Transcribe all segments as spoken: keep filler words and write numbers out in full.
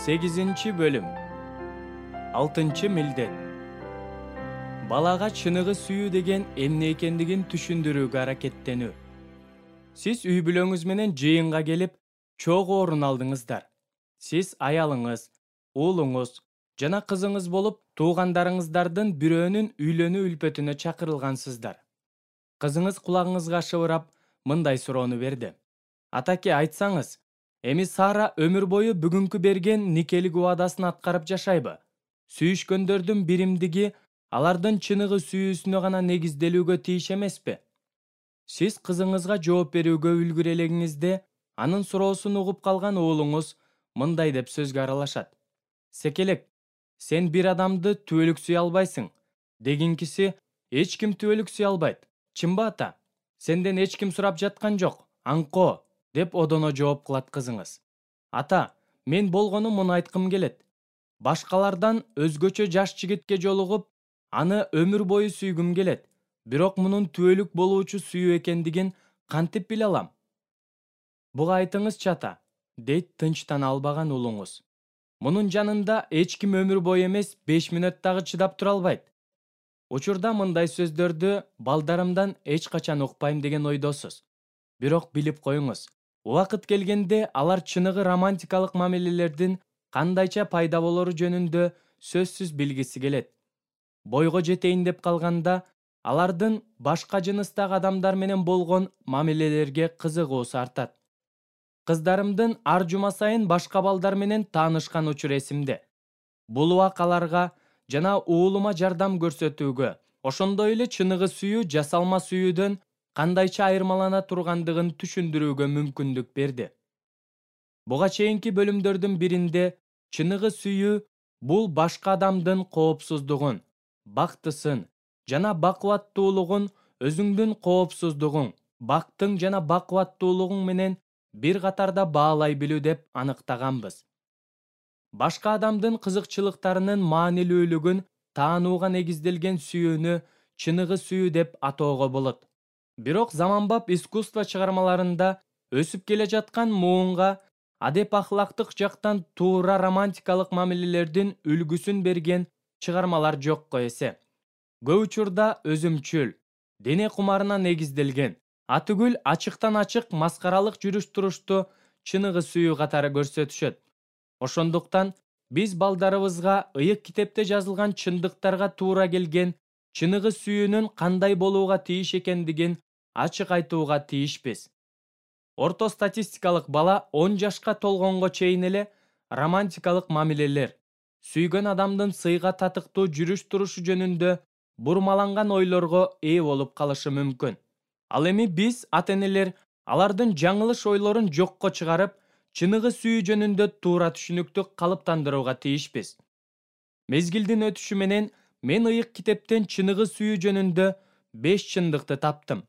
сегизинчи бөлүм. алтынчы милдет. Балага чыныгы сүйүү деген эмне экендигин түшүндүрүүгө аракеттенүү. Сиз үй бүлөңүз менен жыйынга келип, чогуу орун алдыңыздар. Сиз аялыңыз, уулуңуз жана кызыңыз болуп, туугандарыңыздардын бирөөнүн үйлөнүү үлпөтүнө чакырылгансыздар. Кызыңыз кулагыңызга шыбырап, мындай суроону берди: "Атаке, айтсаңыз, эми Сара өмүр бою бүгүнкү берген никелик убадасын аткарып жашайбы? Сүйүшкөндөрдүн биримдиги алардын чыныгы сүйүүсүнө гана негизделүүгө тийиш эмеспи?" Сиз кызыңызга жооп берүүгө үлгүрө элеңизде, анын суроосун угуп калган уулуңуз мындай деп сөзгө аралашат: "Секелек, сен бир адамды түбөлүк сүйө албайсың, дегинкиси эч ким түбөлүк сүйө албайт. Чынбы ата? Сенден эч ким сурап жаткан жок, аңкоо", деп одоно жооп кылат кызыңыз. "Ата, мен болгону муну айткым келет. Башкалардан өзгөчө жаш жигитке жолугуп, аны өмүр бою сүйгүм келет. Бирок мунун түбөлүк болуучу сүйүү экендигин кантип биле алам?" "Буга айтыңызчы ата", дейт тынчтана албаган уулуңуз. "Мунун жанында эч ким өмүр бою эмес, беш мүнөт дагы чыдап тура албайт." Учурда мындай сөздөрдү балдарымдан эч качан укпайм деген ойдосуз. Бирок билип коюңуз, убакыт келгенде алар чыныгы романтикалык мамилелердин кандайча пайда болору жөнүндө сөзсүз билгиси келет. Бойго жетейин деп калганда, алардын башка жыныстагы адамдар менен болгон мамилелерге кызыгуусу артат. Кыздарымдын ар жума сайын башка балдар менен таанышкан учур эсимде. Бул убак аларга жана уулума жардам көрсөтүүгө, ошондой эле чыныгы сүйүү жасалма сүйүүдөн кандайча айырмалана тургандыгын түшүндүрүүгө мүмкүндүк берди. Буга чейинки бөлүмдөрдүн биринде чыныгы сүйүү бул башка адамдын коопсуздугун, бактысын жана бакубаттуулугун өзүңдүн коопсуздугуң, бактың жана бакубаттуулугуң менен бир катарда баалай билүү деп аныктаганбыз. Башка адамдын кызыкчылыктарынын маанилүүлүгүн таанууга негизделген сүйүүнү чыныгы сүйүү деп атоого болот. Бирок заманбап искусство чыгармаларында өсүп келе жаткан муунга адеп ахлактык жактан туура романтикалык мамилелердин үлгүсүн берген чыгармалар жокко эсе. Көп учурда өзүмчүл, дене кумарына негизделген, атүгүл ачыктан ачык маскаралык жүрүш-турушту чыныгы сүйүү катары көрсөтүшөт. Ошондуктан биз балдарыбызга ыйык китепте жазылган чындыктарга туура келген чыныгы сүйүүнүн кандай болууга тийиш экендигин ачык айтууга тийишпиз. Орто статистикалык бала он жашка толгонго чейин эле романтикалык мамилелер, сүйгөн адамдын сыйга татыктуу жүрүш-турушу жөнүндө бурмаланган ойлорго ээ болуп калышы мүмкүн. Ал эми биз ата-энелер алардын жаңылыш ойлорун жокко чыгарып, чыныгы сүйүү жөнүндө туура түшүнүктү калыптандырууга тийишпиз. Мезгилдин өтүшү менен мен ыйык китептен чыныгы сүйүү жөнүндө беш чындыкты таптым.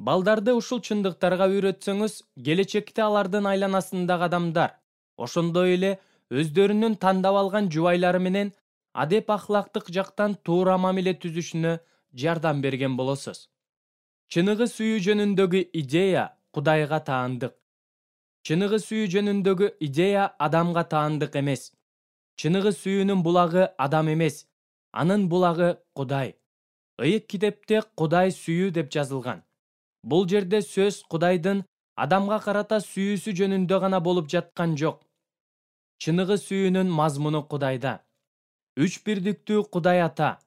Балдарды ушул чындыктарга үйрөтсөңүз, келечекте алардын айланасындагы адамдар, ошондой эле өздөрүнүн тандап алган жубайлары менен адеп ахлактык жактан туура мамиле түзүшүнө жардам берген болосуз. Чыныгы сүйүү жөнүндөгү идея Кудайга таандык. Чыныгы сүйүү жөнүндөгү идея адамга таандык эмес. Чыныгы сүйүүнүн булагы адам эмес, анын булагы Кудай. Ыйык китепте Кудай сүйүү деп жазылган. Бул жерде сөз Кудайдын адамга карата сүйүүсү жөнүндө гана болуп жаткан жок. Чыныгы сүйүүнүн мазмуну Кудайда. Үч бирдиктүү Кудай Ата,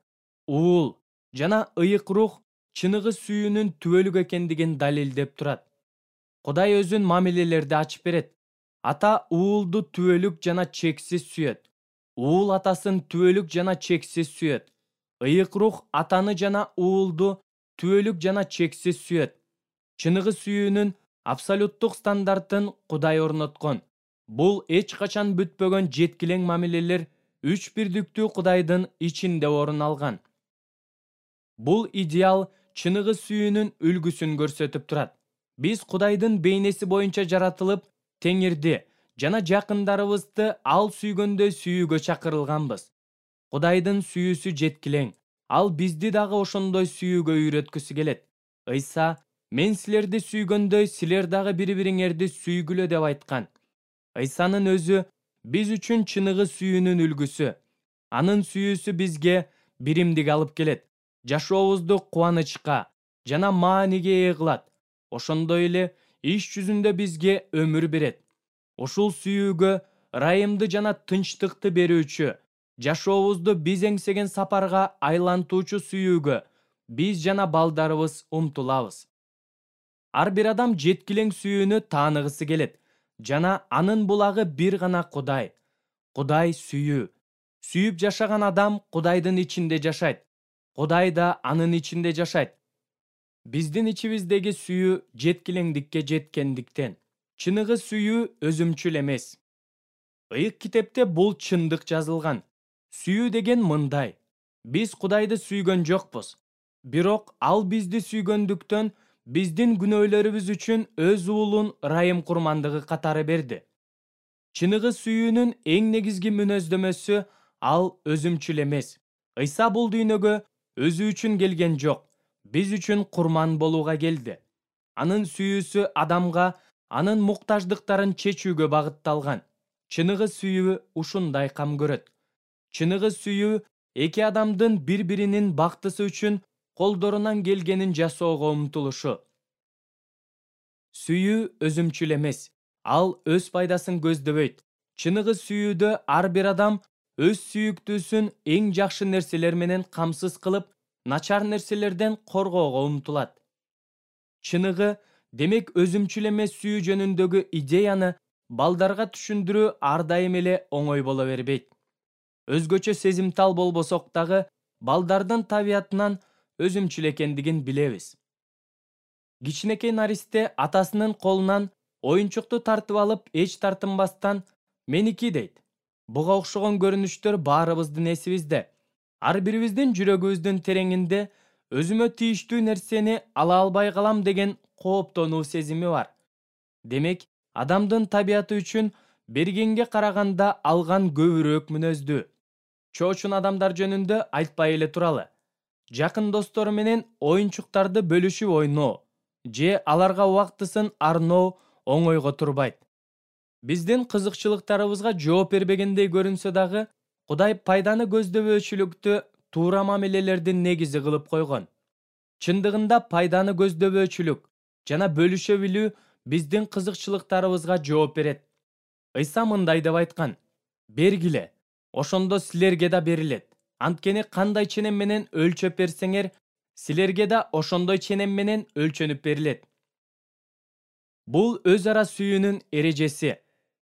Уул жана ыйык рух чыныгы сүйүүнүн түбөлүк экендигин далилдеп турат. Кудай өзүн мамилелерди ачып берет. Ата уулду түбөлүк жана чексиз сүйөт. Уул атасын түбөлүк жана чексиз сүйөт. Ыйык рух атаны жана уулду түбөлүк жана чексиз сүйөт. Чыныгы сүйүүнүн абсолюттук стандартын Кудай орноткон. Бул эч качан бүтпөгөн жеткилең мамилелер үч бирдиктүү Кудайдын ичинде орун алган. Бул идеал чыныгы сүйүүнүн үлгүсүн көрсөтүп турат. Биз Кудайдын бейнеси боюнча жаратылып, Теңирди жана жакындарыбызды ал сүйгөндөй сүйүүгө чакырылганбыз. Кудайдын сүйүүсү жеткилең, ал бизди дагы ошондой сүйүүгө үйрөткүсү келет. Ыйса "Мен силерди сүйгөндөй, силер дагы бири-бириңерди сүйгүлө" деп айткан. Ыйсанын өзү биз үчүн чыныгы сүйүүнүн үлгүсү. Анын сүйүүсү бизге биримдик алып келет, жашообузду кубанычка жана мааниге ээ кылат. Ошондой эле иш жүзүндө бизге өмүр берет. Ушул сүйүүгө ырайымды жана тынчтыкты берүүчү, жашообузду биз эңсеген сапарга айлантуучу сүйүүгө биз жана балдарыбыз умтулабыз. Ар бир адам жеткилең сүйүүнү тааныгысы келет жана анын булагы бир гана Кудай. Кудай сүйүү. Сүйүп жашаган адам Кудайдын ичинде жашайт. Кудай да анын ичинде жашайт. Биздин ичибиздеги сүйүү жеткилеңдикке жеткендиктен. Чыныгы сүйүү өзүмчүл эмес. Ыйык китепте бул чындык жазылган. Сүйүү деген мындай: биз Кудайды сүйгөн жокпуз, бирок ал бизди сүйгөндүктөн биздин күнөөлөрүбүз үчүн өз уулун ырайым курмандыгы катары берди. Чыныгы сүйүүнүн эң негизги мүнөздөмөсү ал өзүмчүл эмес. Ыйса бул дүйнөгө өзү үчүн келген жок, биз үчүн курман болууга келди. Анын сүйүүсү адамга анын муктаждыктарын чечүүгө багытталган. Чыныгы сүйүү ушундай кам көрөт. Чыныгы сүйүү эки адамдын бири-биринин бактысы үчүн колдорунан келгенин жасоого умтулушу. Сүйүү өзүмчүл эмес. Ал өз пайдасын көздөбөйт. Чыныгы сүйүүдө ар бир адам өз сүйүктүүсүн эң жакшы нерселер менен камсыз кылып, начар нерселерден коргоого умтулат. Чыныгы, демек өзүмчүл эмес сүйүү жөнүндөгү идеяны балдарга түшүндүрүү ар дайым эле оңой боло бербейт. Өзгөчө сезимтал болбосок дагы, балдардын табиятынан өзүмчүл экендигин билебиз. Кичинекей наристе атасынын колунан оюнчукту тартып алып, эч тартынбастан «меники» дейт. Буга окшогон көрүнүштөр баарыбыздын эсибизде. Ар бирибиздин жүрөгүбүздүн тереңинде өзүмө тийиштүү нерсени ала албай калам деген кооптонуу сезими бар. Демек, адамдын табияты үчүн бергенге караганда алган көбүрөөк мүнөздүү. Чоочун адамдар жөнүндө айтпай эле туралы. Жакын достору менен оюнчуктарды бөлүшүп ойноо же аларга убактысын арноо оңойго турбайт. Биздин кызыкчылыктарыбызга жооп бербегендей көрүнсө дагы, Кудай пайданы көздөбөөчүлүктү туура мамилелердин негизи кылып койгон. Чындыгында пайданы көздөбөөчүлүк жана бөлүшө билүү биздин кызыкчылыктарыбызга жооп берет. Ыйса мындай деп айткан: «Бергиле, ошондо силерге да берилет. Анткени кандай ченем менен өлчөп берсеңер, силерге да ошондой ченем менен өлчөнүп берилет». Бул өз ара сүйүүнүн эрежеси.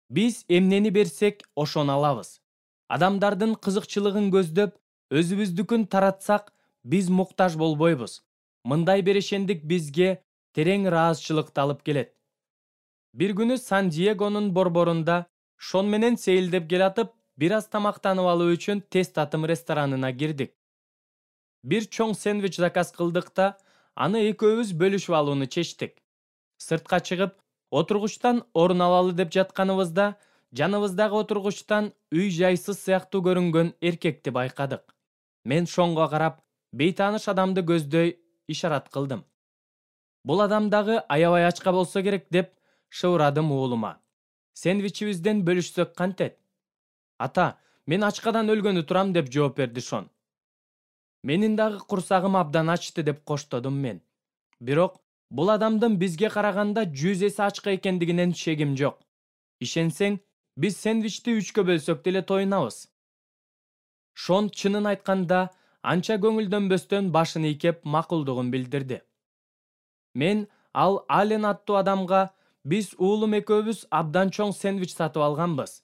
Биз эмнени берсек, ошону алабыз. Адамдардын кызыкчылыгын көздөп, өзүбүздүкүн таратсак, биз муктаж болбойбуз. Мындай берешендик бизге терең ыраазычылыкты алып келет. Бир күнү Сан-Диегонун борборунда Шон менен сейилдеп келатып, бир аз тамактанып алуу үчүн тез татым ресторанына кирдик. Бир чоң сэндвич заказ кылдык да, аны экөөбүз бөлүшүп алууну чечтик. Сыртка чыгып, отургучтан орун алалы деп жатканыбызда, жаныбыздагы отургучтан үй жайсыз сыяктуу көрүнгөн эркекти байкадык. Мен Шонго карап, бейтааныш адамды көздөй ишарат кылдым. Бул адам дагы аябай ачка болсо керек деп шыбырадым уулума. Сэндвичибизден бөлүшсөк кантет? Ата, мен ачкадан өлгөнү турам деп жооп берди Шон. Менин дагы курсагым абдан ачты деп коштодум мен. Бирок бул адамдын бизге караганда жүз эсе ачка экендигинен шегим жок. Ишенсең, биз сэндвичти үчкө бөлсөк деле тоюнабыз. Шон чынын айтканда анча көңүлдөнбөстөн башын ийкеп макулдугун билдирди. Мен ал Ален аттуу адамга биз уулум экөөбүз абдан чоң сэндвич сатып алганбыз.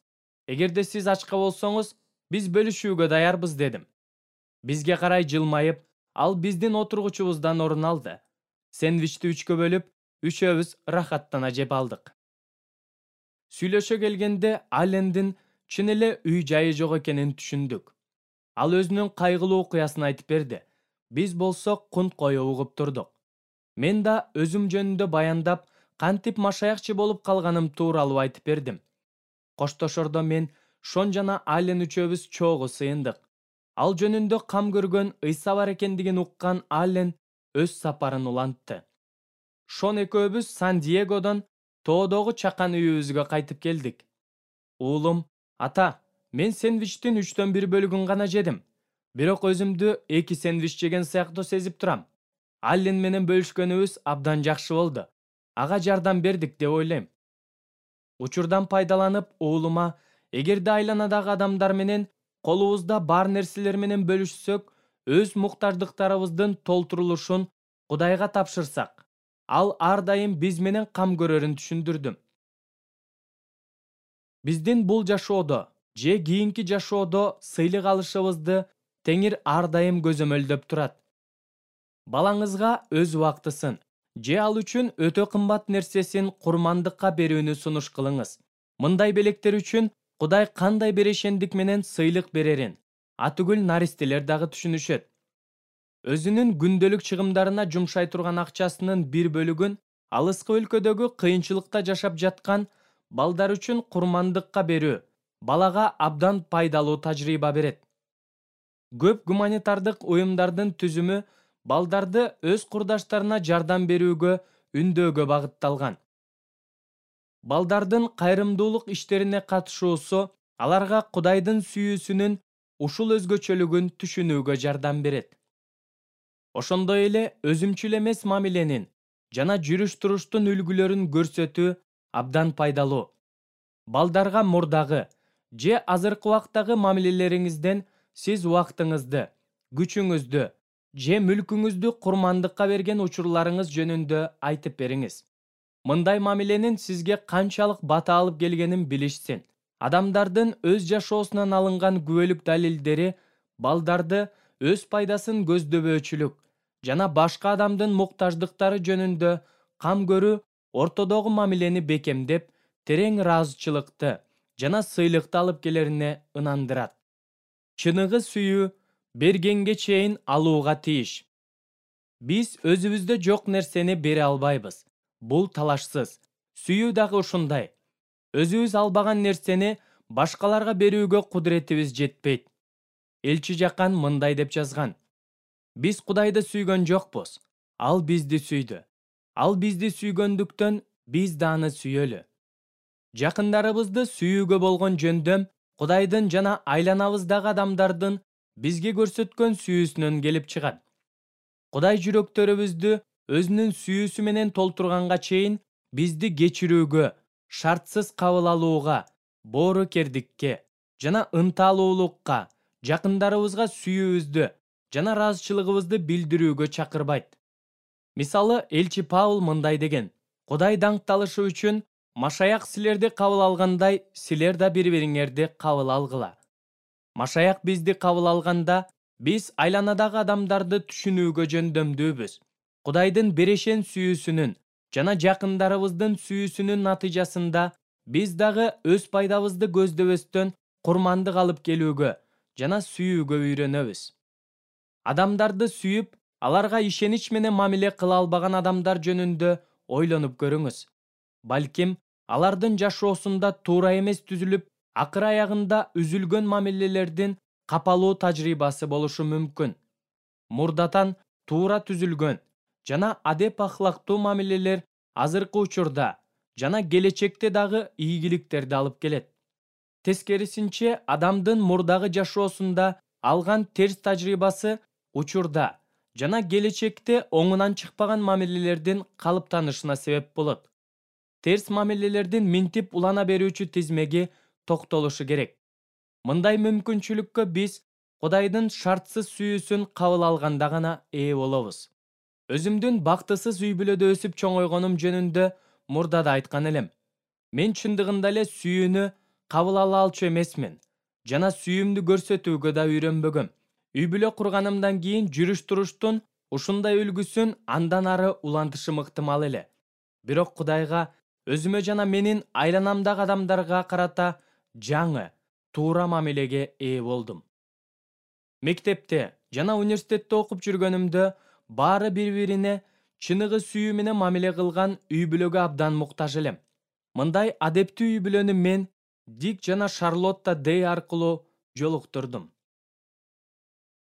Эгерде сиз ачка болсоңуз, биз бөлүшүүгө даярбыз дедим. Бизге карай жылмайып, ал биздин отургучубуздан орун алды. Сэндвичти үчкө бөлүп, үчөөбүз рахаттана жеп алдык. Сүйлөшө келгенде Алендин чын эле үй жайы жок экенин түшүндүк. Ал өзүнүн кайгылуу окуясын айтып берди. Биз болсок кунт коюп угуп турдук. Мен да өзүм жөнүндө баяндап, кантип машаякчы болуп калганым тууралуу айтып бердим. Коштошордо мен Шон жана Ален үчөөбүз чогуу сыйындык. Ал жөнүндө кам көргөн Ыйса бар экендигин уккан Ален өз сапарын улантты. Шон экөөбүз Сан-Диегодон тоодогу чакан үйүбүзгө кайтып келдик. Уулум Ата, мен сэндвичтин үчтөн бир бөлүгүн гана жедим. Бирок өзүмдү эки сэндвич жеген сыяктуу сезип турам. Аллен менен бөлүшкөнүбүз абдан жакшы болду. Ага жардам бердик деп ойлойм. Учурдан пайдаланып уулума, эгерде айланадагы адамдар менен колубузда бар нерселер менен бөлүшсөк, өз муктаждыктарыбыздын толтурулушун Кудайга тапшырсак, ал ар дайым биз менен кам көрөрүн түшүндүрдүм. Биздин бул жашоодо же кийинки жашоодо сыйлык алышыбызды Теңир ар дайым көзөмөлдөп турат. Балаңызга өз убактысын же ал үчүн өтө кымбат нерсесин курмандыкка берүүнү сунуш кылыңыз. Мындай белектер үчүн Кудай кандай берешендик менен сыйлык берерин атүгүл наристелер дагы түшүнүшөт. Өзүнүн күндөлүк чыгымдарына жумшай турган акчасынын бир бөлүгүн алыскы өлкөдөгү кыйынчылыкта жашап жаткан балдар үчүн курмандыкка берүү балага абдан пайдалуу тажрыйба берет. Көп гуманитардык уюмдардын түзүмү балдарды өз курдаштарына жардам берүүгө үндөөгө багытталган. Балдардын кайрымдуулук иштерине катышуусу аларга Кудайдын сүйүүсүнүн ушул өзгөчөлүгүн түшүнүүгө жардам берет. Ошондой эле өзүмчүл эмес мамиленин жана жүрүш-туруштун үлгүлөрүн көрсөтүү абдан пайдалуу. Балдарга мурдагы же азыркы убактагы мамилелериңизден сиз убактыңызды, күчүңүздү же мүлкүңүздү курмандыкка берген учурларыңыз жөнүндө айтып бериңиз. Мындай мамиленин сизге канчалык бата алып келгенин билишсин. Адамдардын өз жашоосунан алынган күбөлүк далилдери балдарды өз пайдасын көздөбөөчүлүк жана башка адамдын муктаждыктары жөнүндө кам көрүү ортодогу мамилени бекемдеп, терең ыраазычылыкты жана сыйлыкты алып келерине ынандырат. Чыныгы сүйүү бергенге чейин алууга тийиш. Биз өзүбүздө жок нерсени бере албайбыз. Бул талашсыз. Сүйүү дагы ушундай. Өзүбүз албаган нерсени башкаларга берүүгө кудуретибиз жетпейт. Элчи Жакан мындай деп жазган: Биз Кудайды сүйгөн жокпуз. Ал бизди сүйдү. Ал бизди сүйгөндүктөн биз да аны сүйөлү. Жакындарыбызды сүйүүгө болгон жөндөм Кудайдын жана айланабыздагы адамдардын бизге көрсөткөн сүйүүсүнөн келип чыгат. Кудай жүрөктөрүбүздү өзүнүн сүйүүсү менен толтурганга чейин бизди кечирүүгө, шартсыз кабыл алууга, боорукердикке жана ынталуулукка, жакындарыбызга сүйүүбүздү жана ыраазычылыгыбызды билдирүүгө чакырбайт. Мисалы, элчи Павыл мындай деген: Кудай даңкталышы үчүн Машаяк силерди кабыл алгандай, силер да бири-бириңерди кабыл алгыла. Машаяк бизди кабыл алганда, биз айланадагы адамдарды түшүнүүгө жөндөмдүүбүз. Кудайдын берешен сүйүүсүнүн жана жакындарыбыздын сүйүүсүнүн натыйжасында биз дагы өз пайдабызды көздөбөстөн курмандык алып келүүгө жана сүйүүгө үйрөнөбүз. Адамдарды сүйүп, аларга ишенич менен мамиле кыла албаган адамдар жөнүндө ойлонуп көрүңүз. Балким, алардын жашоосунда туура эмес түзүлүп, акыр аягында үзүлгөн мамилелердин капалуу тажрыйбасы болушу мүмкүн. Мурдатан туура түзүлгөн жана адеп ахлактуу мамилелер азыркы учурда жана келечекте дагы ийгиликтерди алып келет. Тескерисинче, адамдын мурдагы жашоосунда алган терс тажрыйбасы учурда жана келечекте оңунан чыкпаган мамилелердин калыптанышына себеп болот. Терс мамилелердин минтип улана берүүчү тизмеги токтолушу керек. Мындай мүмкүнчүлүккө биз Кудайдын шартсыз сүйүүсүн кабыл алганда гана ээ болобуз. Өзүмдүн бактысыз үй бүлөдө өсүп чоңойгонум жөнүндө мурда да айткан элем. Мен чындыгында эле сүйүүнү кабыл ала алчу эмесмин жана сүйүүмдү көрсөтүүгө да үйрөнбөгөм. Үй бүлө курганымдан кийин жүрүш-туруштун ушундай үлгүсүн андан ары улантышым ыктымал эле. Бирок Кудайга, өзүмө жана менин айланамдагы адамдарга карата жаңы, туура мамилеге ээ болдум. Мектепте жана университетте окуп жүргөнүмдө баары бири-бирине чыныгы сүйүү менен мамиле кылган үй бүлөгө абдан муктаж элем. Мындай адептүү үй бүлөнү мен Дик жана Шарлотта Дэй аркылуу жолуктурдум.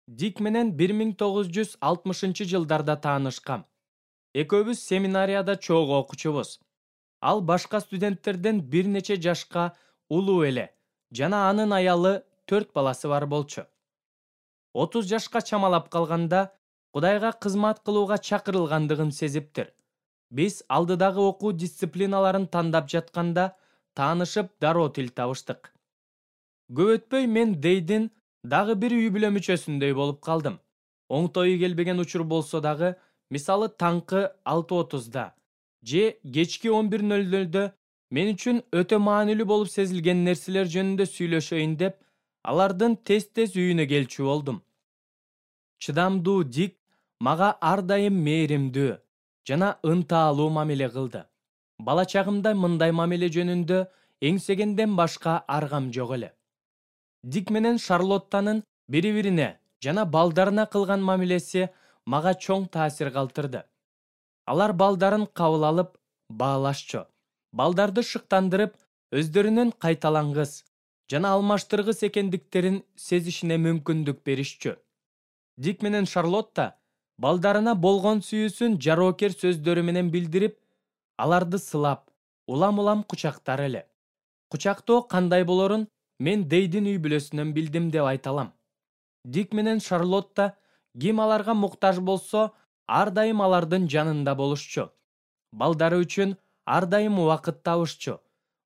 Дик менен бир миң тогуз жүз алтымышынчы жылдарда таанышкам. Экөөбүз семинарияда чогуу окучубуз. Ал башка студенттерден бир нече жашка улуу эле жана анын аялы төрт баласы бар болчу. отуз жашка чамалап калганда Кудайга кызмат кылууга чакырылгандыгын сезиптир. Биз алдыдагы окуу дисциплиналарын тандап жатканда таанышып дароо тил табыштык. Көп өтпөй мен Дейдин дагы бир үй бүлө мүчөсүндөй болуп калдым. Оңтойу келбеген учур болсо дагы, мисалы таңкы алты отузда же кечки он бир нөл нөлдө мен үчүн өтө маанилүү болуп сезилген нерселер жөнүндө сүйлөшөйүн деп, алардын тез-тез үйүнө келчү болдум. Чыдамдуу Дик мага ар дайым мээримдүү жана ынтаалуу мамиле кылды. Бала чагымда мындай мамиле жөнүндө эңсегенден башка аргам жок эле. Дик менен Шарлоттанын бири-бирине жана балдарына кылган мамилеси мага чоң таасир калтырды. Алар балдарын кабыл алып, баалашчу. Балдарды шыктандырып, өздөрүнүн кайталангыс жана алмаштыргыс экендиктерин сезишине мүмкүндүк беришчү. Дик менен Шарлотта балдарына болгон сүйүүсүн жароокер сөздөрү менен билдирип, аларды сылап, улам-улам кучактар эле. Кучактоо кандай болорун мен Дейдин үй бүлөсүнөн билдим деп айта алам. Дик менен Шарлотта ким аларга муктаж болсо, ар дайым алардын жанында болушчу. Балдары үчүн ар дайым убакыт табышчу.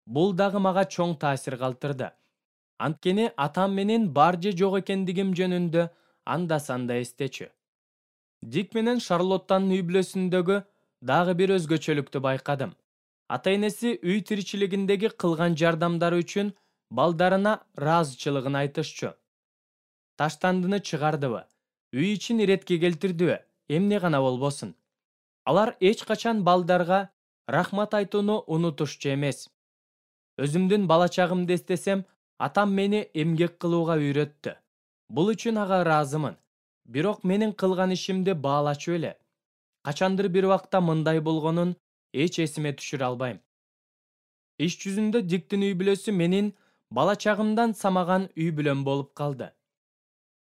Бул дагы мага чоң таасир калтырды. Анткени атам менин бар же жок экендигим жөнүндө анда-санда эстечү. Дик менен Шарлоттанын үй бүлөсүндөгү дагы бир өзгөчөлүктү байкадым. Ата-энеси үй тиричилигиндеги кылган жардамдары үчүн балдарына ыраазычылыгын айтышчу. Таштандыны чыгардыбы, үй ичин иретке келтирдиби, эмне гана болбосун. Алар эч качан балдарга рахмат айтууну унутушчу эмес. Өзүмдүн бала чагымды эстесем, атам мени эмгек кылууга үйрөттү. Бул үчүн ага ыраазымын. Бирок менин кылган ишимди баалачу эле. Качандыр бир убакта мындай болгонун эч эсиме түшүрө албайм. Иш жүзүндө Диктин үй бүлөсү менин бала чагымдан самаган үй бүлөм болуп калды.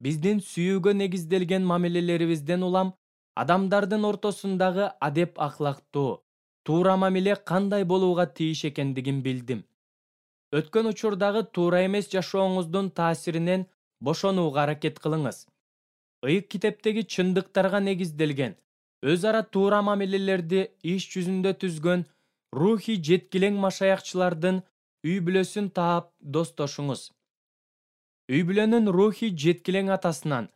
Биздин сүйүүгө негизделген мамилелерибизден улам адамдардын ортосундагы адеп акылактуу, туура мамиле кандай болууга тийиш экендигин билдим. Өткөн учурдагы туура эмес жашооңуздун таасиринен бошонууга аракет кылыңыз. Ыйык китептеги чындыктарга негизделген, өз ара туура мамилелерди иш жүзүндө түзгөн рухий жеткилең машаякчылардын үй бүлөсүн таап достошуңуз. Үй бүлөнүн рухий жеткилең атасынан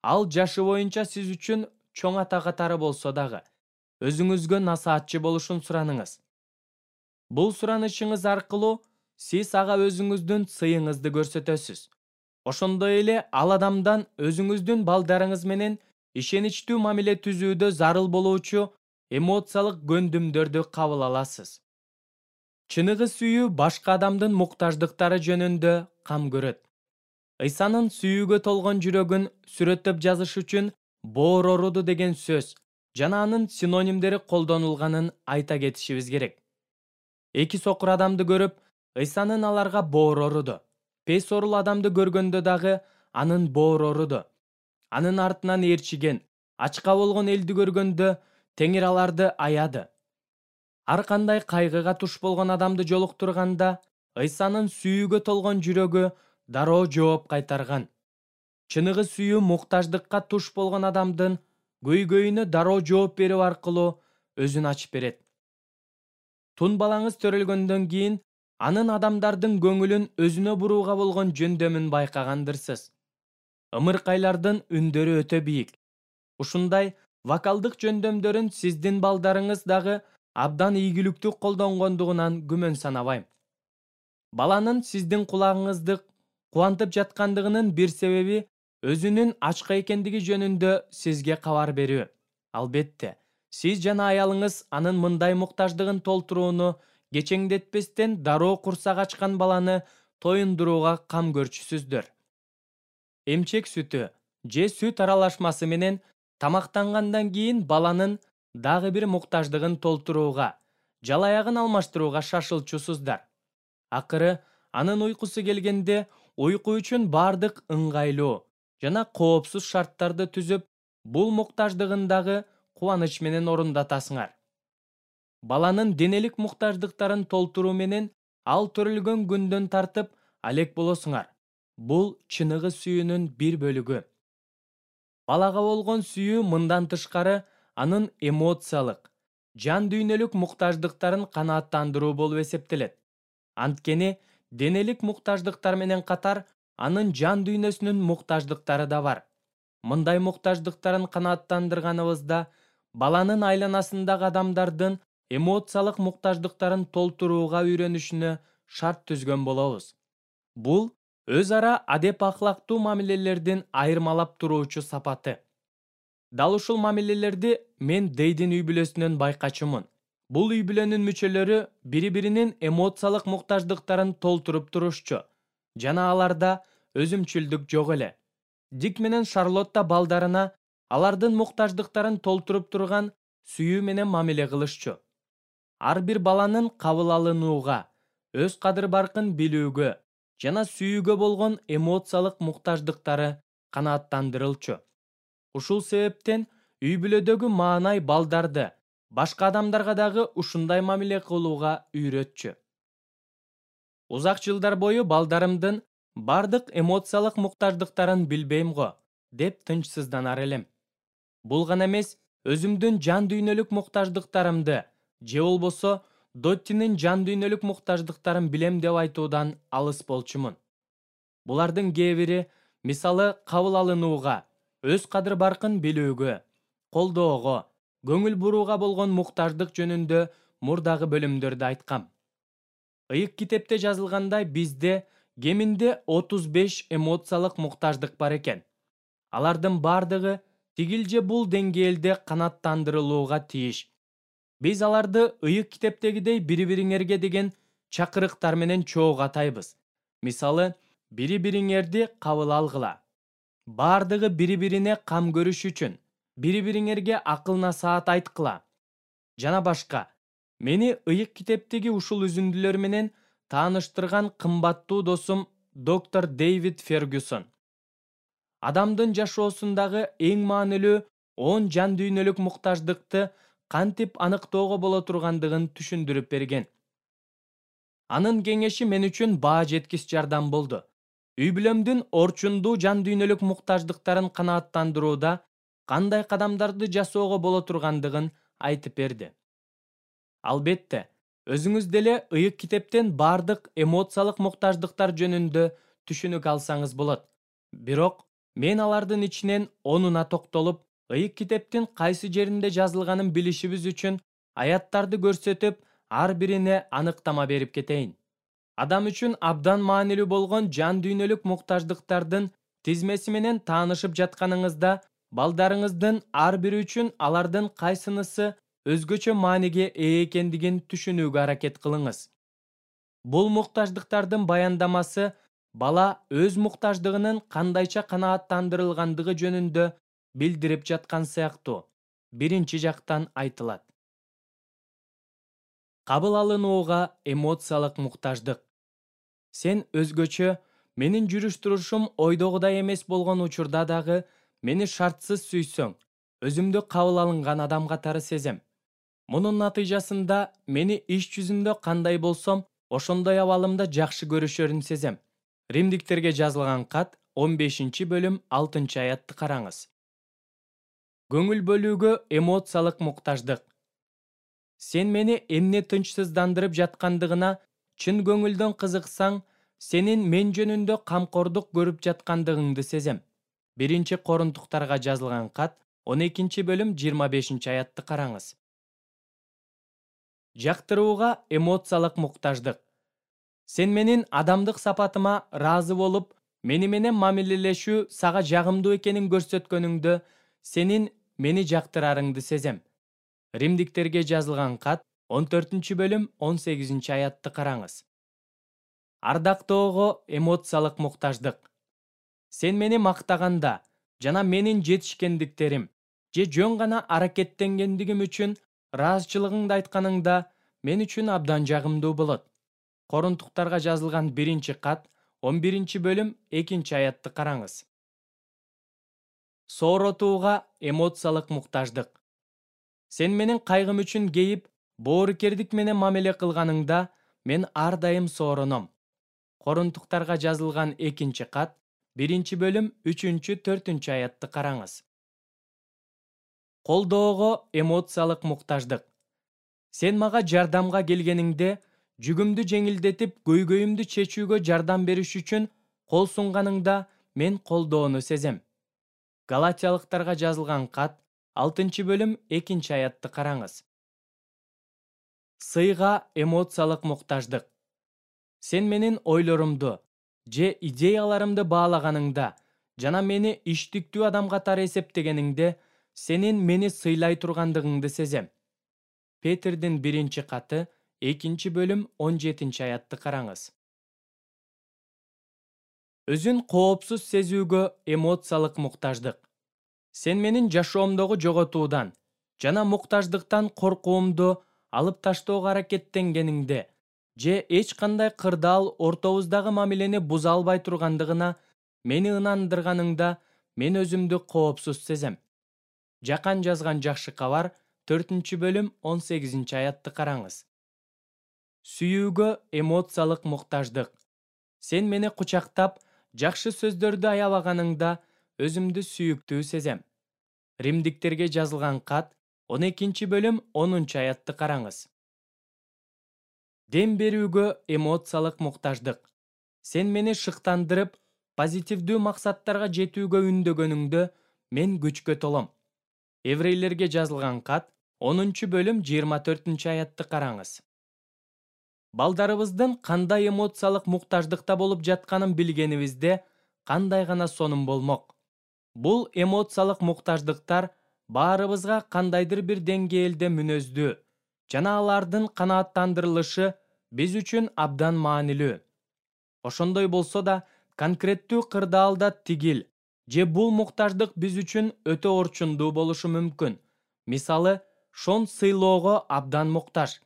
ал жашы боюнча сиз үчүн чоң ата катары болсо дагы өзүңүзгө насаатчы болушун сураныңыз. Бул суранышыңыз аркылуу сиз ага өзүңүздүн сыйыңызды көрсөтөсүз. Ошондой эле ал адамдан өзүңүздүн балдарыңыз менен ишеничтүү мамиле түзүүдө зарыл болуучу эмоциялык көндүмдөрдү кабыл аласыз. Чыныгы сүйүү башка адамдын муктаждыктары жөнүндө кам көрөт. Ыйсанын сүйүүгө толгон жүрөгүн сүрөттөп жазыш үчүн боороруду деген сөз жана анын синонимдери колдонулганын айта кетишибиз керек. Эки сокур адамды көрүп, Ыйсанын аларга боороруду. Пес орул адамды көргөндө дагы анын боороруду. Анын артынан ээрчиген, ачка болгон элди көргөндө Теңир аларды аяды. Ар кандай кайгыга туш болгон адамды жолуктурганда, Ыйсанын сүйүүгө толгон жүрөгү дароо жооп кайтарган. Чыныгы сүйүү муктаждыкка туш болгон адамдын көйгөйүнө дароо жооп берүү аркылуу өзүн ачып берет. Тун балаңыз төрөлгөндөн кийин анын адамдардын көңүлүн өзүнө бурууга болгон жөндөмүн байкагандырсыз. Ымыркайлардын үндөрү өтө бийик. Ушундай вокалдык жөндөмдөрүн сиздин балдарыңыз дагы абдан ийгиликтүү колдонгондугунан күмөн санабайм. Баланын сиздин кулагыңызды кубантып жаткандыгынын бир себеби өзүнүн ачка экендиги жөнүндө сизге кабар берүү. Албетте, сиз жана аялыңыз анын мындай муктаждыгын толтурууну кечеңдетпестен дароо курсак ачкан баланы тоюндурууга кам көрчүсүздөр. Эмчек сүтү же сүт аралашмасы менен тамактангандан кийин баланын дагы бир муктаждыгын толтурууга, жалаягын алмаштырууга шашылчусуздар. Акыры анын уйкусу келгенде уйку үчүн бардык ыңгайлуу жана коопсуз шарттарды түзүп, бул муктаждыгын дагы кубаныч менен орундатасыңар. Баланын денелик муктаждыктарын толтуруу менен ал төрөлгөн күндөн тартып алек болосуңар. Бул чыныгы сүйүүнүн бир бөлүгү. Балага болгон сүйүү мындан тышкары анын эмоциялык, жан дүйнөлүк муктаждыктарын канааттандыруу болуп эсептелет. Анткени денелик муктаждыктар менен катар анын жан дүйнөсүнүн муктаждыктары да бар. Мындай муктаждыктарын канааттандырганыбызда баланын айланасындагы адамдардын эмоциялык муктаждыктарын толтурууга үйрөнүшүнө шарт түзгөн болобуз. Бул өз ара адеп акылактуу мамилелердин айырмалап туруучу сапаты. Дал ушул мамилелерди мен Дейдин үй бүлөсүнөн байкачумун. Бул үй бүлөнүн мүчөлөрү бири-биринин эмоциялык муктаждыктарын толтуруп турушчу жана аларда өзүмчүлдүк жок эле. Дик менен Шарлотта балдарына алардын муктаждыктарын толтуруп турган сүйүү менен мамиле кылышчу. Ар бир баланын кабыл алынууга, өз кадыр-баркын билүүгө жана сүйүүгө болгон эмоциялык муктаждыктары канааттандырылчу. Ушул себептен үй бүлөдөгү маанай балдарды башка адамдарга дагы ушундай мамиле кылууга үйрөтчү. Узак жылдар бою балдарымдын бардык эмоциялык муктаждыктарын билбейм го, деп тынчсызданар элем. Бул гана эмес, өзүмдүн жан дүйнөлүк муктаждыктарымды же болбосо Доттинин жан дүйнөлүк муктаждыктарын билем деп айтуудан алыс болчумун. Булардын кээ бири, мисалы, кабыл алынууга, өз кадыр-баркын билүүгө, колдоого, көңүл бурууга болгон муктаждык жөнүндө мурдагы бөлүмдөрдө айткам. Ыйык китепте жазылгандай, бизде кеминде отуз беш эмоциялык муктаждык бар экен. Алардын бардыгы тигил же бул деңгээлде канааттандырылууга тийиш. Биз аларды ыйык китептегидей бири-бириңерге деген чакырыктар менен чогуу атайбыз. Мисалы, бири-бириңерди кабыл алгыла. Бардыгы бири-бирине кам көрүш үчүн, бири-бириңерге акыл-насаат айткыла. Жана башка. Мени ыйык китептеги ушул үзүндүлөр менен тааныштырган кымбаттуу досум доктор Дэвид Фергюсон. Адамдын жашоосундагы эң маанилүү он жан дүйнөлүк муктаждыкты кантип аныктоого боло тургандыгын түшүндүрүп берген. Анын кеңеши мен үчүн баа жеткис жардам болду. Үй бүлөмдүн орчундуу жан дүйнөлүк муктаждыктарын канааттандырууда кандай кадамдарды жасоого боло тургандыгын айтып берди. Албетте, өзүңүз деле ыйык китептен бардык эмоциялык муктаждыктар жөнүндө түшүнүк алсаңыз болот. Бирок мен алардын ичинен онуна токтолуп, ыйык китептин кайсы жеринде жазылганын билишибиз үчүн аяттарды көрсөтүп, ар бирине аныктама берип кетейин. Адам үчүн абдан маанилүү болгон жан дүйнөлүк муктаждыктардын тизмеси менен таанышып жатканыңызда, балдарыңыздын ар бири үчүн алардын кайсынысы өзгөчө мааниге ээ экендигин түшүнүүгө аракет кылыңыз. Бул муктаждыктардын баяндамасы бала өз муктаждыгынын кандайча канааттандырылгандыгы жөнүндө билдирип жаткан сыяктуу биринчи жактан айтылат. Кабыл алынууга эмоциялык муктаждык. Сен өзгөчө, менин жүрүш-турушум ойдогудай эмес болгон учурда дагы мени шартсыз сүйсөң, өзүмдү кабыл алынган адам катары сезем. Мунун натыйжасында мени иш жүзүндө кандай болсом, ошондой абалымда жакшы көрүшөрүн сезем. Римдиктерге жазылган кат он бешинчи бөлүм алтынчы аятты караңыз. Көңүл бөлүүгө эмоциялык муктаждык. Сен мени эмне тынчсыздандырып жаткандыгына чын көңүлдөн кызыксаң, сенин мен жөнүндө камкордук көрүп жаткандыгыңды сезем. Биринчи Корунтуктарга жазылган кат он экинчи бөлүм жыйырма бешинчи аятты караңыз. Жактырууга эмоциялык муктаждык. Сен менин адамдык сапатыма ыраазы болуп, мени менен мамилелешүү сага жагымдуу экенин көрсөткөнүңдө, сенин мени жактырарыңды сезем. Римдиктерге жазылган кат он төртүнчү бөлүм он сегизинчи аятты караңыз. Ардактоого эмоциялык муктаждык. Сен мени мактаганда жана менин жетишкендиктерим же жөн гана аракеттенгендигим үчүн ыраазычылыгыңды айтканыңда мен үчүн абдан жагымдуу болот. Корунтуктарга жазылган биринчи кат он биринчи бөлүм экинчи аятты караңыз. Сооротууга эмоциялык муктаждык. Сен менин кайгым үчүн кейип, боорукердик менен мамиле кылганыңда мен ар дайым соороном. Корунтуктарга жазылган экинчи кат, биринчи бөлүм үчүнчү төртүнчү аятты караңыз. Колдоого эмоциялык муктаждык. Сен мага жардамга келгениңде, жүгүмдү жеңилдетип, көйгөйүмдү чечүүгө жардам бериш үчүн кол сунганыңда мен колдоону сезем. Галатиялыктарга жазылган кат, алтынчы бөлүм экинчи аятты караңыз. Сыйга эмоциялык муктаждык. Сен менин ойлорумду же идеяларымды баалаганыңда жана мени иштиктүү адам катары эсептегениңде, сенин мени сыйлай тургандыгыңды сезем. Петердин биринчи каты, экинчи бөлүм он жетинчи аятты караңыз. Өзүн коопсуз сезүүгө эмоциялык муктаждык. Сен менин жашоомдогу жоготуудан жана муктаждыктан коркуумду алып таштоого аракеттенгениңде же эч кандай кырдаал ортобуздагы мамилени буза албай тургандыгына мени ынандырганыңда мен өзүмдү коопсуз сезем. Жакан жазган жакшы кабар, төртүнчү бөлүм он сегизинчи аятты караңыз. Сүйүүгө эмоциялык муктаждык. Сен мени кучактап, жакшы сөздөрдү аябаганыңда өзүмдү сүйүктүү сезем. Римдиктерге жазылган кат, он экинчи бөлүм онунчу аятты караңыз. Дем берүүгө эмоциялык муктаждык. Сен мени шыктандырып, позитивдүү максаттарга жетүүгө үндөгөнүңдө мен күчкө толом. Еврейлерге жазылган кат, онунчу бөлүм жыйырма төртүнчү аятты караңыз. Балдарыбыздын кандай эмоциялык муктаждыкта болуп жатканын билгенибизде, кандай гана сонун болмок. Бул эмоциялык муктаждыктар баарыбызга кандайдыр бир деңгээлде мүнөздүү, жана алардын канааттандырылышы биз үчүн абдан маанилүү. Ошондой болсо да, конкреттүү кырдаалда тигил же бул муктаждык биз үчүн өтө орчундуу болушу мүмкүн. Мисалы, Шон сыйлоого абдан муктаж.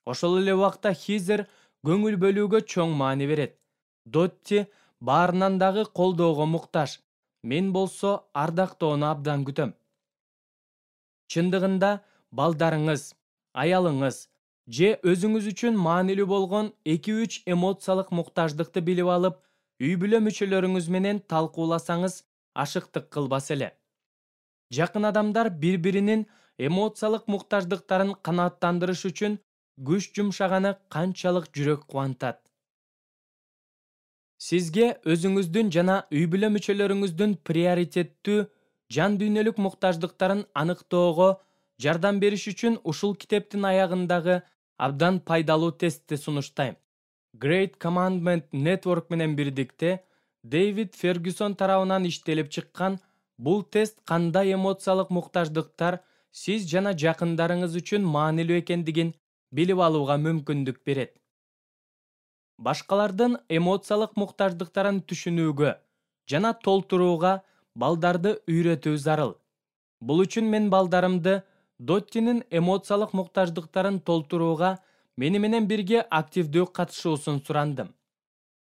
Ошол эле убакта Хизер көңүл бөлүүгө чоң маани берет. Дотти баарынан дагы колдоого муктаж. Мен болсо ардактоону абдан күтөм. Чындыгында, балдарыңыз, аялыңыз же өзүңүз үчүн маанилүү болгон эки үч эмоциялык муктаждыкты билип алып, үй бүлө мүчөлөрүңүз менен талкууласаңыз, ашыктык кылбас эле. Жакын адамдар бири-биринин эмоциялык муктаждыктарын канааттандырыш үчүн күч жумшаганы канчалык жүрөк кубантат. Сизге өзүңүздүн жана үй бүлө мүчөлөрүңүздүн приоритеттүү жан дүйнөлүк муктаждыктарын аныктоого жардам бериш үчүн ушул китептин аягындагы абдан пайдалуу тестти сунуштайм. Great Commandment Network менен бирдикте Дэвид Фергюсон тарабынан иштелип чыккан бул тест кандай эмоциялык муктаждыктар сиз жана жакындарыңыз үчүн маанилүү экендигин билип алууга мүмкүндүк берет. Башкалардын эмоциялык муктаждыктарын түшүнүүгө жана толтурууга балдарды үйрөтүү зарыл. Бул үчүн мен балдарымды Доттинин эмоциялык муктаждыктарын толтурууга мени менен бирге активдүү катышуусун сурандым.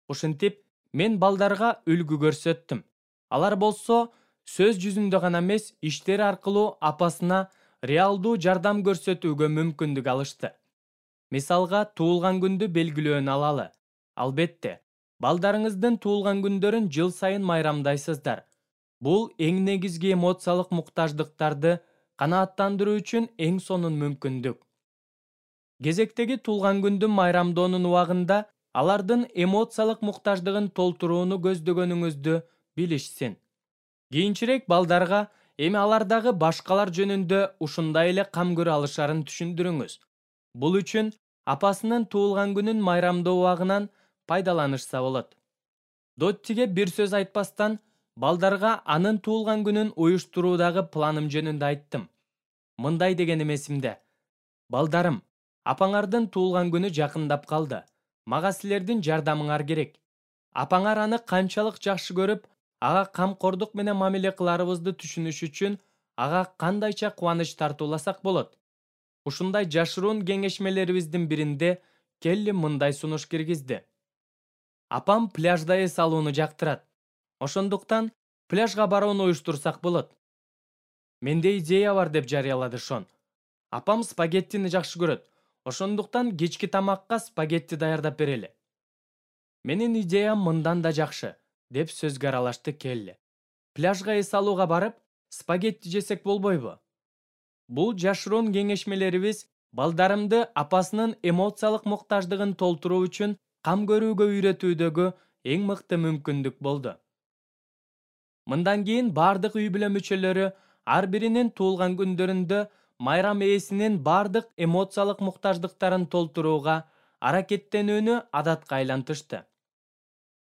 Ушинтип, мен балдарга үлгү көрсөттүм. Алар болсо сөз жүзүндө гана эмес, иштери аркылуу апасына реалдуу жардам көрсөтүүгө мүмкүндүк алышты. Мисалга, туулган күндү белгилөөнү алалы. Албетте, балдарыңыздын туулган күндөрүн жыл сайын майрамдайсыздар. Бул эң негизги эмоциялык муктаждыктарды канааттандыруу үчүн эң сонун мүмкүндүк. Кезектеги туулган күндүн майрамдоонун убагында алардын эмоциялык муктаждыгын толтурууну көздөгөнүңүздү билишсин. Кийинчерээк балдарга эми алар дагы башкалар жөнүндө ушундай эле кам көрө алышарын түшүндүрүңүз. Бул үчүн апасынын туулган күнүн майрамдоо убагынан пайдаланышса болот. Доттиге бир сөз айтпастан, балдарга анын туулган күнүн уюштуруудагы планым жөнүндө айттым. Мындай дегеним эсимде. Балдарым, апаңардын туулган күнү жакындап калды. Мага силердин жардамыңар керек. Апаңар аны канчалык жакшы көрүп, ага камкордук менен мамиле кыларыбызды түшүнүш үчүн ага кандайча кубаныч тартууласак болот. Ушундай жашыруун кеңешмелерибиздин биринде Келли мындай сунуш киргизди. Апам пляжда эс алууну жактырат. Ошондуктан пляжга барууну уюштурсак болот. Менде идея бар, деп жарыялады Шон. Апам спагеттини жакшы көрөт. Ошондуктан кечки тамакка спагетти даярдап берели. Менин идеям мындан да жакшы, деп сөзгө аралашты Келли. Пляжга эс алууга барып, спагетти жесек болбойбу? Бул жашыруун кеңешмелерибиз балдарымды апасынын эмоциялык муктаждыгын толтуруу үчүн кам көрүүгө үйрөтүүдөгү эң мыкты мүмкүндүк болду. Мындан кийин бардык үй бүлө мүчөлөрү ар биринин туулган күндөрүндө майрам ээсинин бардык эмоциялык муктаждыктарын толтурууга аракеттенүүнү адатка айлантышты.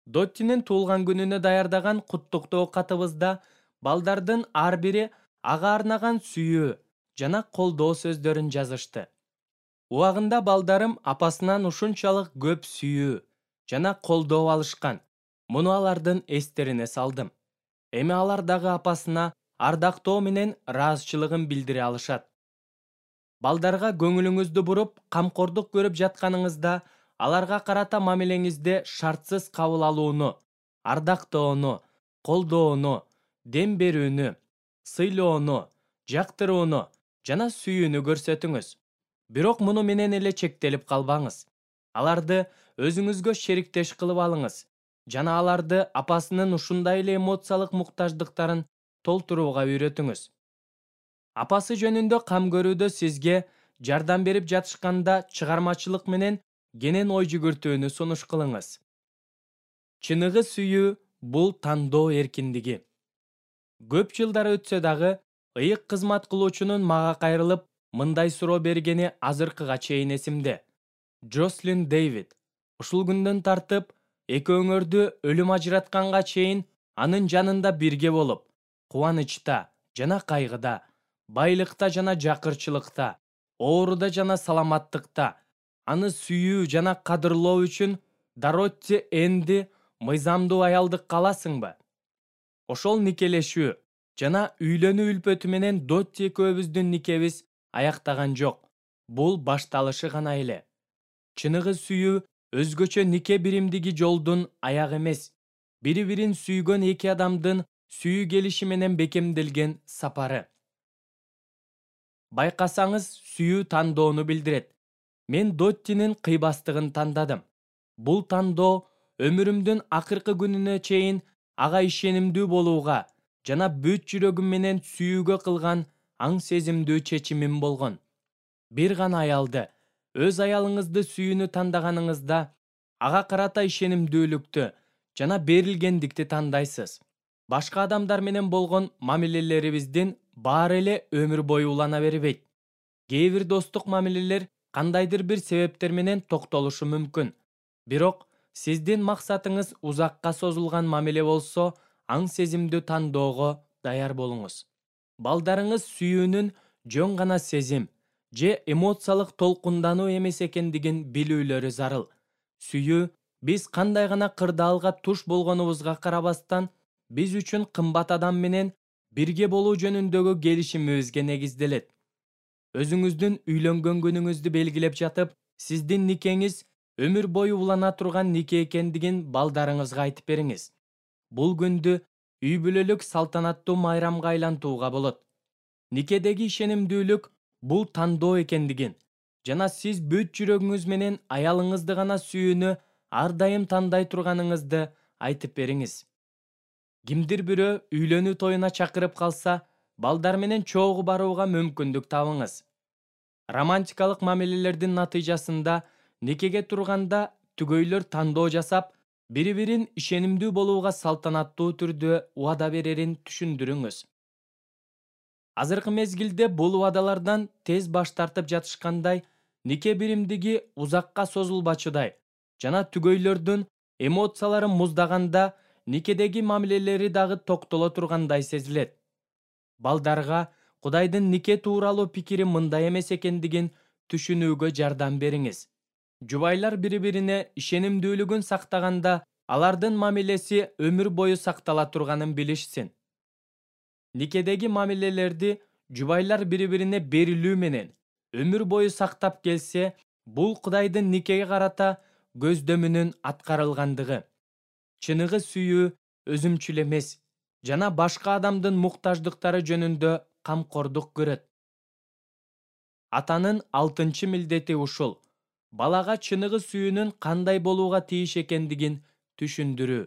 Доттинин туулган күнүнө даярдаган куттуктоо катыбызда балдардын ар бири ага арнаган сүйүү жана колдоо сөздөрүн жазышты. Убагында балдарым апасынан ушунчалык көп сүйүү жана колдоо алышкан. Муну алардын эстерине салдым. Эми алар дагы апасына ардактоо менен ыраазычылыгын билдире алышат. Балдарга көңүлүңүздү буруп, камкордук көрүп жатканыңызда, аларга карата мамилеңизде шартсыз кабыл алууну, ардактоону, колдоону, дем берүүнү, сыйлоону, жактырууну жана сүйүүнү көрсөтүңүз. Бирок муну менен эле чектелип калбаңыз. Аларды өзүңүзгө шериктеш кылып алыңыз жана аларды апасынын ушундай эле эмоциялык муктаждыктарын толтурууга үйрөтүңүз. Апасы жөнүндө кам көрүүдө сизге жардам берип жатышканда чыгармачылык менен кенен ой жүгүртүүнү сунуш кылыңыз. Чыныгы сүйүү бул тандоо эркиндиги. Көп жылдар өтсө дагы, ыйык кызмат кылуучунун мага кайрылып мындай суроо бергени азыркыга чейин эсимде. Джослин Дэвид, ушул күндөн тартып, экөөңөрдү өлүм ажыратканга чейин анын жанында бирге болуп, кубанычта жана кайгыда, байлыкта жана жакырчылыкта, ооруда жана саламаттыкта аны сүйүү жана кадырлоо үчүн Даротти Энди мыйзамдуу аялдыкка аласыңбы? Ошол никелешүү жана үйлөнүү үлпөтү менен Дотти экөөбүздүн никебиз аяктаган жок. Бул башталышы гана эле. Чыныгы сүйүү өзгөчө нике биримдиги жолдун аягы эмес, бири-бирин сүйгөн эки адамдын сүйүү келиши менен бекемделген сапары. Байкасаңыз, сүйүү тандоону билдирет. Мен Доттинин кыйбастыгын тандадым. Бул тандоо өмүрүмдүн акыркы күнүнө чейин ага ишенимдүү болууга жана бүт жүрөгүм менен сүйүүгө кылган аң сезимдүү чечимим болгон. Бир гана аялды, өз аялыңызды сүйүүнү тандаганыңызда, ага карата ишенимдүүлүктү жана берилгендикти тандайсыз. Башка адамдар менен болгон мамилелерибиздин баары эле өмүр бою улана бербейт. Кээ бир достук мамилелер кандайдыр бир себептер менен токтолушу мүмкүн. Бирок сиздин максатыңыз узакка созулган мамиле болсо, аң сезимдүү тандоого даяр болуңуз. Балдарыңыз сүйүүнүн жөн гана сезим же эмоциялык толкундануу эмес экендигин билүүлөрү зарыл. Сүйүү биз кандай гана кырдаалга туш болгонубузга карабастан, биз үчүн кымбат адам менен бирге болуу жөнүндөгү келишимибизге негизделет. Өзүңүздүн үйлөнгөн күнүңүздү белгилеп жатып, сиздин никеңиз өмүр бою улана турган нике экендигин балдарыңызга айтып бериңиз. Бул күндү үй бүлөлүк салтанаттуу майрамга айлантууга болот. Никедеги ишенимдүүлүк бул тандоо экендигин жана сиз бүт жүрөгүңүз менен аялыңызды гана сүйүүнү ар дайым тандай турганыңызды айтып бериңиз. Кимдир бирөө үйлөнүү тоюна чакырып калса, балдар менен чогуу барууга мүмкүндүк табыңыз. Романтикалык мамилелердин натыйжасында никеге турганда түгөйлөр тандоо жасап, бири-бирин ишенимдүү болууга салтанаттуу түрдө убада берерин түшүндүрүңүз. Азыркы мезгилде бул убадалардан тез баш тартып жатышкандай, нике биримдиги узакка созулбачудай жана түгөйлөрдүн эмоциялары муздаганда никедеги мамилелери дагы токтоло тургандай сезилет. Балдарга Кудайдын нике тууралуу пикири мындай эмес экендигин түшүнүүгө жардам бериңиз. Жубайлар бири-бирине ишенимдүүлүгүн сактаганда, алардын мамилеси өмүр бою сактала турганын билишсин. Никедеги мамилелерди жубайлар бири-бирине берилүү менен өмүр бою сактап келсе, бул Кудайдын никеге карата көздөмүнүн аткарылгандыгы. Чыныгы сүйүү өзүмчүл эмес жана башка адамдын муктаждыктары жөнүндө камкордук көрөт. Атанын алтынчы милдети ушул: балага чыныгы сүйүүнүн кандай болууга тийиш экендигин түшүндүрүү.